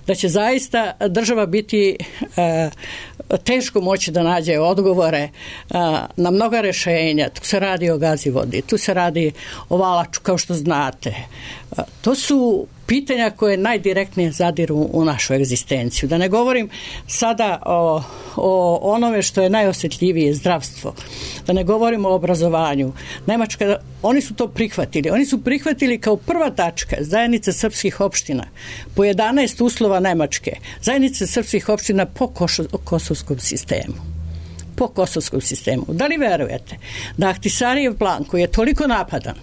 Da će zaista država biti teško moći da nađe odgovore na mnoga rešenja. Tu se radi o Gazivodi, tu se radi o Valaču, kao što znate. To su pitanja koje najdirektnije zadiru u našu egzistenciju. Da ne govorim sada o onome što je najosjetljivije, zdravstvo. Da ne govorim o obrazovanju. Nemačka, oni su to prihvatili. Oni su prihvatili kao prva tačka zajednice srpskih opština po 11 uslova Nemačke. Zajednice srpskih opština po kosovskom sistemu. Po kosovskom sistemu. Da li verujete da Ahtisarijev plan koji je toliko napadan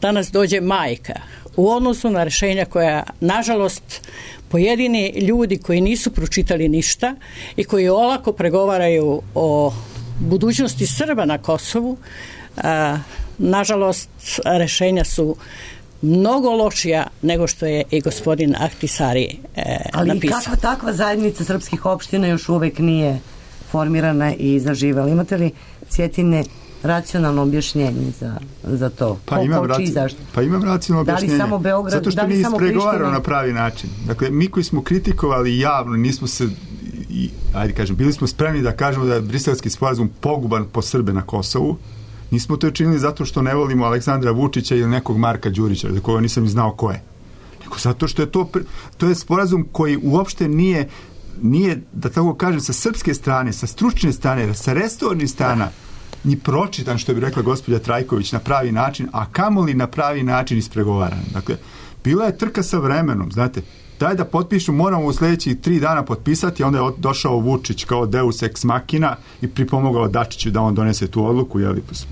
danas dođe majka u odnosu na rešenja koja, nažalost, pojedini ljudi koji nisu pročitali ništa i koji olako pregovaraju o budućnosti Srba na Kosovu, nažalost, rešenja su mnogo lošija nego što je i gospodin Ahtisari napisao. Ali kakva takva zajednica srpskih opština još uvek nije formirana i zaživela? Imate li, Cjetine, racionalno objašnjenje za to? Pa imam racionalno objašnjenje. Da li samo Beograd, zato što nije ispregovarao na pravi način. Dakle, mi koji smo kritikovali javno, nismo se, bili smo spremni da kažemo da je Briselski sporazum poguban po Srbe na Kosovu. Nismo to učinili zato što ne volimo Aleksandra Vučića ili nekog Marka Đurića, za koga nisam znao ko je. Nego zato što je to je sporazum koji uopšte nije, da tako kažem, sa srpske strane, sa stručne strane, sa resornih strana, ni pročitan, što bi rekla gospođa Trajković, na pravi način, a kamoli na pravi način ispregovaran. Dakle, bila je trka sa vremenom, znate, daj da potpišu, moramo u sljedećih 3 dana potpisati, onda je došao Vučić kao Deus ex machina i pripomogao Dačiću da on donese tu odluku,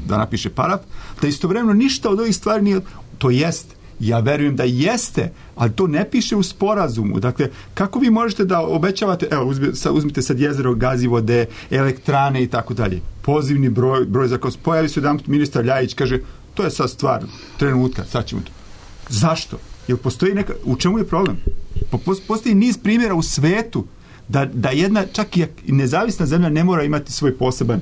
da napiše paraf, da istovremeno ništa od ovih stvari nije, to jeste. Ja verujem da jeste, ali to ne piše u sporazumu. Dakle, kako vi možete da obećavate, evo, uzmite sad jezero, gazivode, elektrane i tako dalje. Pozivni broj za Kosovo. Pojavi se jedan ministar Ljajić, kaže, to je sad stvar trenutka, sad ćemo to. Zašto? Jel postoji u čemu je problem? Postoji niz primjera u svetu da jedna, čak i nezavisna zemlja ne mora imati svoj poseban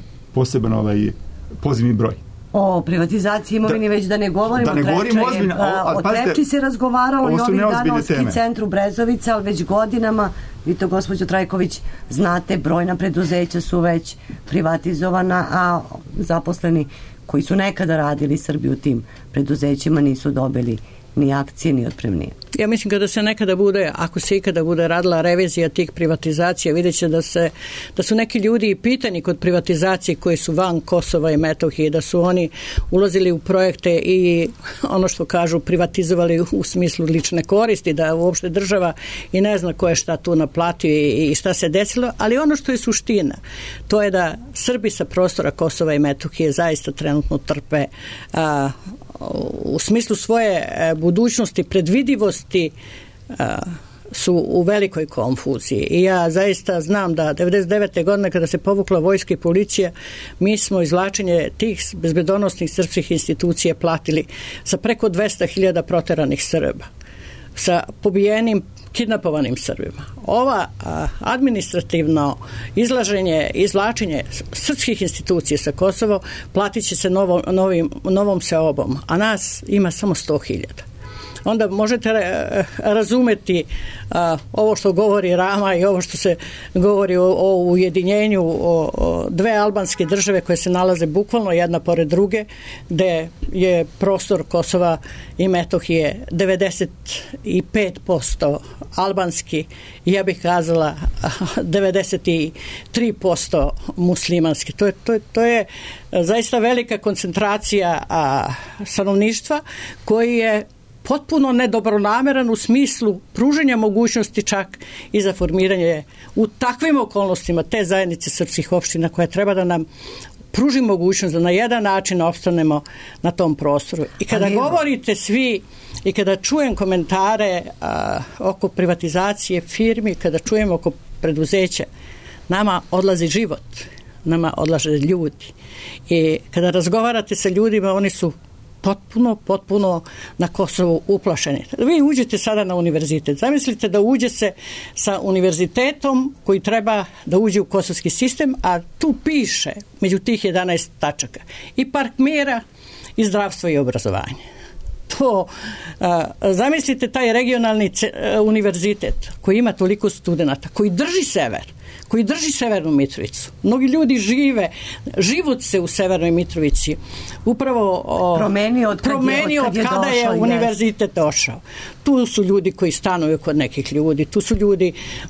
pozivni broj. O privatizaciji imovini već da ne govorimo. Da ne govorimo ozbiljno. O Trepči se razgovaralo i ovih dana u ski centru Brezovica, ali već godinama, vi to gospođo Trajković znate, brojna preduzeća su već privatizovana, a zaposleni koji su nekada radili Srbiju u tim preduzećima nisu dobili ni akcije, ni otpremnije. Ja mislim kada se nekada bude, ako se ikada bude radila revizija tih privatizacija, vidjet će da su neki ljudi i pitani kod privatizacije koji su van Kosova i Metohije, da su oni ulazili u projekte i ono što kažu privatizovali u smislu lične koristi, da uopšte država i ne zna ko je šta tu naplatio i šta se desilo, ali ono što je suština, to je da Srbi sa prostora Kosova i Metohije zaista trenutno trpe u smislu svoje budućnosti, predvidivosti su u velikoj konfuziji. I ja zaista znam da 99. godine kada se povukla vojska i policija, mi smo izvlačenje tih bezbedonosnih srpskih institucija platili sa preko 200.000 proteranih Srba, sa pobijenim kidnapovanim Srbima. Ova administrativno izvlačenje srpskih institucija sa Kosovo platit će se novom seobom, a nas ima samo 100.000. Onda možete razumeti ovo što govori Rama i ovo što se govori o ujedinjenju o dve albanske države koje se nalaze bukvalno jedna pored druge, gde je prostor Kosova i Metohije 95% albanski, ja bih kazala 93% muslimanski. To je zaista velika koncentracija stanovništva koji je potpuno nedobronameran u smislu pruženja mogućnosti čak i za formiranje u takvim okolnostima te zajednice srpskih opština koja treba da nam pruži mogućnost da na jedan način opstanemo na tom prostoru. I kada govorite svi i kada čujem komentare oko privatizacije firmi, kada čujem oko preduzeća, nama odlazi život, nama odlaze ljudi. I kada razgovarate sa ljudima, oni su potpuno na Kosovu uplašeni. Vi uđete sada na univerzitet. Zamislite da uđe se sa univerzitetom koji treba da uđe u kosovski sistem, a tu piše među tih 11 tačaka i park mira i zdravstvo i obrazovanje. Zamislite taj regionalni univerzitet koji ima toliko studenata, koji drži sever, koji drži Severnu Mitrovicu. Mnogi ljudi život se u Severnoj Mitrovici upravo promenio od kada je univerzitet došao. Tu su ljudi koji stanuju kod nekih ljudi, tu su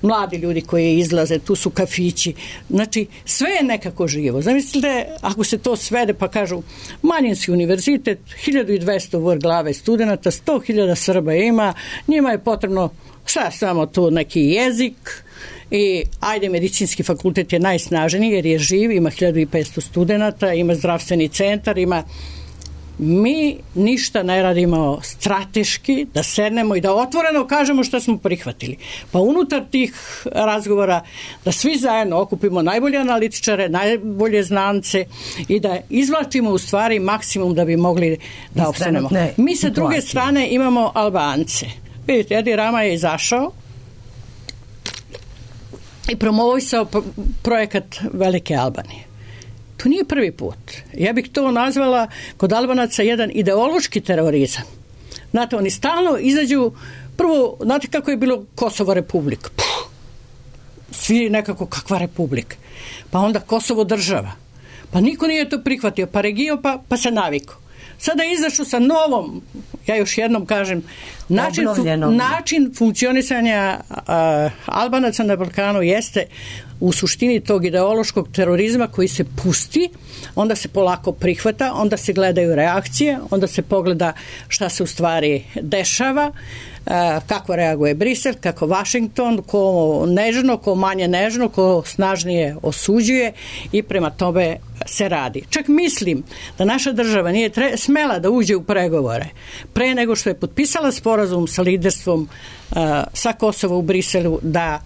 mladi ljudi koji izlaze, tu su kafići. Znači, sve je nekako živo. Zamislite, ako se to svede pa kažu manjinski univerzitet, 1200 vrh glave studenata, 100.000 Srba ima, njima je potrebno samo tu neki jezik, i medicinski fakultet je najsnaženiji jer je živ, ima 1500 studenata, ima zdravstveni centar, mi ništa ne radimo strateški, da sednemo i da otvoreno kažemo što smo prihvatili. Pa unutar tih razgovora da svi zajedno okupimo najbolje analitičare, najbolje znance i da izvlačimo u stvari maksimum da bi mogli da opstanemo. Mi sa druge strane imamo Albance. Vidite, Edi Rama je izašao i promovisao projekat Velike Albanije. To nije prvi put. Ja bih to nazvala kod Albanaca jedan ideološki terorizam. Znate, oni stalno izađu, prvo, znate kako je bilo Kosovo republika? Svi nekako kakva republika? Pa onda Kosovo država. Pa niko nije to prihvatio, pa region, pa se navikao. sada izašao sa novom, ja još jednom kažem, način funkcionisanja Albanaca na Balkanu jeste u suštini tog ideološkog terorizma koji se pusti, onda se polako prihvata, onda se gledaju reakcije, onda se pogleda šta se u stvari dešava, kako reaguje Brisel, kako Washington, ko nežno, ko manje nežno, ko snažnije osuđuje i prema tome se radi. Čak mislim da naša država nije smela da uđe u pregovore pre nego što je potpisala sporazum sa liderstvom sa Kosova u Briselu da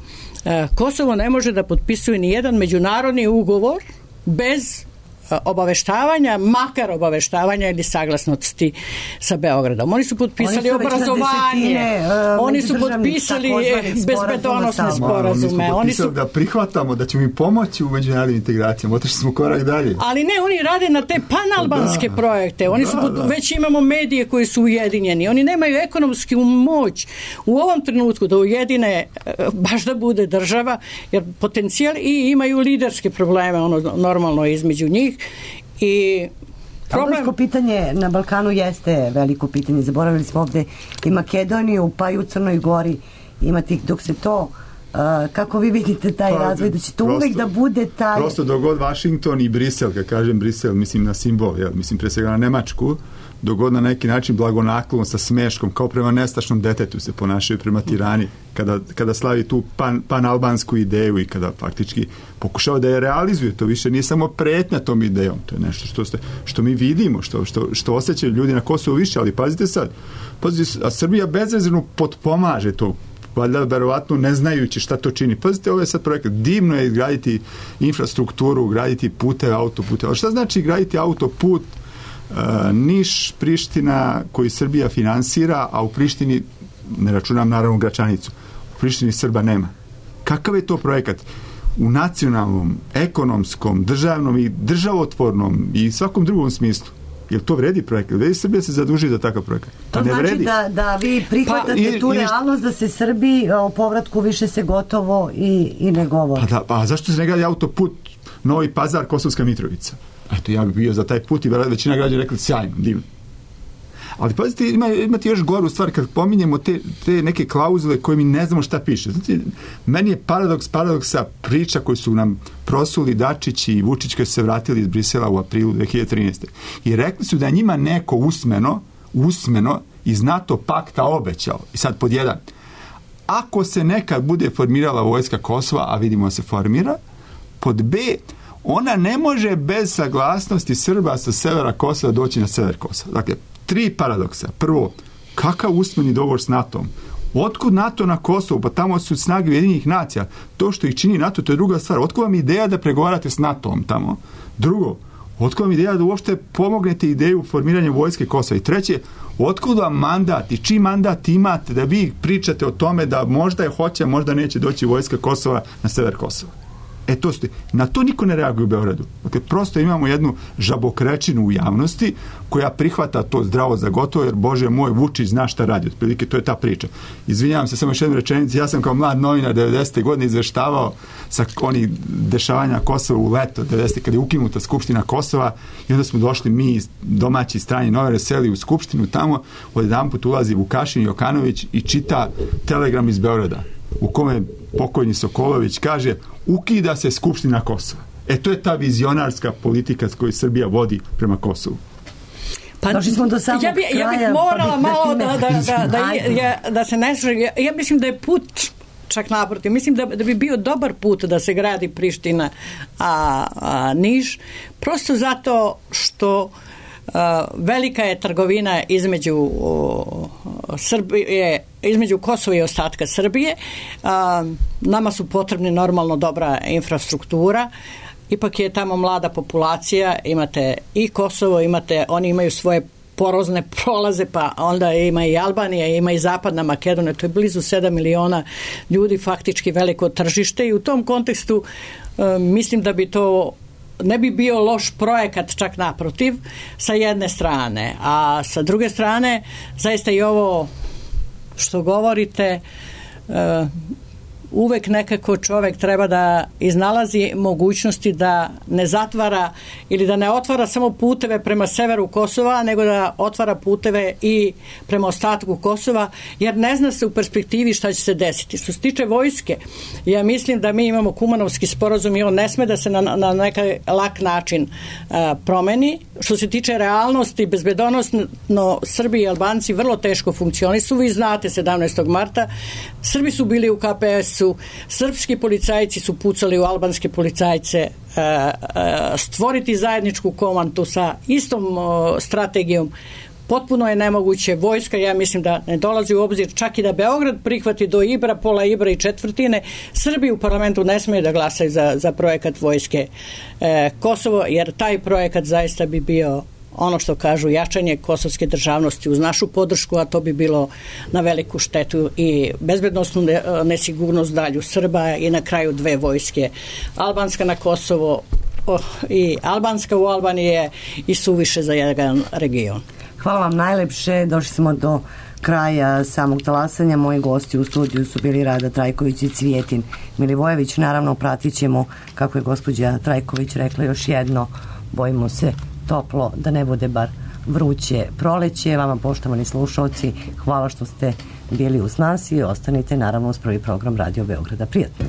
Kosovo ne može da potpisuje ni jedan međunarodni ugovor bez obaveštavanja, makar obaveštavanja ili saglasnosti sa Beogradom. Oni su potpisali obrazovanje, oni su potpisali bezbedonosne sporazume. Oni su potpisali da prihvatamo, da ćemo im pomoći u međunarodnim integracijama. Otišli smo korak dalje. Ali ne, oni rade na te panalbanske projekte. Oni su već imamo medije koji su ujedinjeni. Oni nemaju ekonomsku moć u ovom trenutku da ujedine baš da bude država, jer potencijal i imaju liderske probleme normalno između njih. I albansko pitanje na Balkanu jeste veliko pitanje. Zaboravili smo ovde i Makedoniju, pa i u Crnoj Gori imati, dok se to kako vi vidite taj razvoj, da će to uvek da bude taj... Prosto dogod Washington i Brisel, kad kažem Brisel, mislim na simbol, mislim pre svega na Nemačku, dogod na neki način blagonaklono sa smeškom, kao prema nestašnom detetu se ponašaju prema Tirani, kada slavi tu panalbansku ideju i kada faktički pokušava da je realizuje. To više nije samo pretnja tom idejom, to je nešto što mi vidimo, što osjećaju ljudi na Kosovu više, ali pazite sad, a Srbija bezrezervno potpomaže to, valjda verovatno ne znajući šta to čini. Pazite, ovo je sad projekat. Divno je izgraditi infrastrukturu, graditi puteve, autopute. Ali šta znači graditi autoput Niš, Priština, koji Srbija finansira, a u Prištini, ne računam naravno Gračanicu, u Prištini Srba nema. Kakav je to projekat? U nacionalnom, ekonomskom, državnom i državotvornom i svakom drugom smislu. Jel to vredi projekat? Vredi Srbija se zaduži za takav projekat? To ne znači da vi prihvatate tu realnost da se Srbiji o povratku više se gotovo i ne govori. Pa zašto se ne gradi autoput Novi Pazar, Kosovska Mitrovica? Eto, ja bih bio za taj put i većina građana rekli sjajno, divno. Ali pazite, imate još goru stvar kad pominjemo te neke klauzule koje mi ne znamo šta piše. Znači, meni je paradoksa priča koju su nam prosuli Dačić i Vučić koji su se vratili iz Brisela u aprilu 2013. I rekli su da je njima neko usmeno iz NATO pakta obećao. I sad pod jedan. Ako se nekad bude formirala vojska Kosova, a vidimo da se formira, pod B, ona ne može bez saglasnosti Srba sa severa Kosova doći na sever Kosova. Dakle, 3 paradoksa. Prvo, kakav usmeni dogovor s NATO-om? Otkud NATO na Kosovu? Pa tamo su snage Ujedinjenih nacija. To što ih čini NATO, to je druga stvar. Otkud vam ideja da pregovarate s NATO-om tamo? Drugo, otkud vam ideja da uopšte pomognete ideju formiranja vojske Kosova? I treće, otkud vam mandat i čiji mandat imate da vi pričate o tome da možda je hoće, možda neće doći vojska Kosova na sever Kosova? Na to niko ne reaguje u Beogradu. Dakle, prosto imamo jednu žabokrečinu u javnosti koja prihvata to zdravo za gotovo, jer Bože moj, Vučić zna šta radi. Otprilike, to je ta priča. Izvinjavam se, samo još jednu rečenicu. Ja sam kao mlad novinar 90. godine izveštavao sa onih dešavanja Kosova u leto 90. kada je ukinuta Skupština Kosova i onda smo došli mi domaći strani novinari seli u Skupštinu tamo, odjedanput ulazi Vukašin Jokanović i čita telegram iz Beograda u kome pokojni Sokolović kaže ukida se Skupština Kosova. To je ta vizionarska politika koju Srbija vodi prema Kosovu. Pa, došli smo do samog kraja. Ja bih morala malo da se ne služi. Ja mislim da je put čak naprotiv. Mislim da bi bio dobar put da se gradi Priština a Niš. Prosto zato što velika je trgovina između Srbije, između Kosova i ostatka Srbije. Nama su potrebni normalno dobra infrastruktura. Ipak je tamo mlada populacija, imate i Kosovo, oni imaju svoje porozne prolaze, pa onda ima i Albanija, ima i Zapadna Makedonija, to je blizu 7 miliona ljudi, faktički veliko tržište i u tom kontekstu mislim da bi to ne bi bio loš projekat, čak naprotiv, sa jedne strane. A sa druge strane, zaista i ovo što govorite, uvek nekako čovek treba da iznalazi mogućnosti da ne zatvara ili da ne otvara samo puteve prema severu Kosova, nego da otvara puteve i prema ostatku Kosova, jer ne zna se u perspektivi šta će se desiti. Što se tiče vojske, ja mislim da mi imamo Kumanovski sporazum i on ne sme da se na neki lak način promeni. Što se tiče realnosti, bezbedonosno Srbi i Albanci vrlo teško funkcionisu. Vi znate, 17. marta Srbi su bili u KPS-u, srpski policajci su pucali u albanske policajce. Stvoriti zajedničku komandu sa istom strategijom potpuno je nemoguće. Vojska, ja mislim da ne dolazi u obzir, čak i da Beograd prihvati do Ibra, pola Ibra i četvrtine. Srbi u parlamentu ne smeju da glasaju za projekat vojske Kosovo, jer taj projekat zaista bi bio ono što kažu jačanje kosovske državnosti uz našu podršku, a to bi bilo na veliku štetu i bezbednosnu nesigurnost dalju Srba i na kraju dve vojske. Albanska na Kosovo i albanska u Albaniji je i suviše za jedan region. Hvala vam najlepše, došli smo do kraja samog talasanja. Moji gosti u studiju su bili Rada Trajković i Cvijetin Milivojević. Naravno, pratit ćemo, kako je gospođa Trajković rekla još jedno, bojimo se toplo, da ne bude bar vruće proleće. Vama, poštovani slušalci, hvala što ste bili uz nas i ostanite naravno uz prvi program Radio Beograda. Prijatno.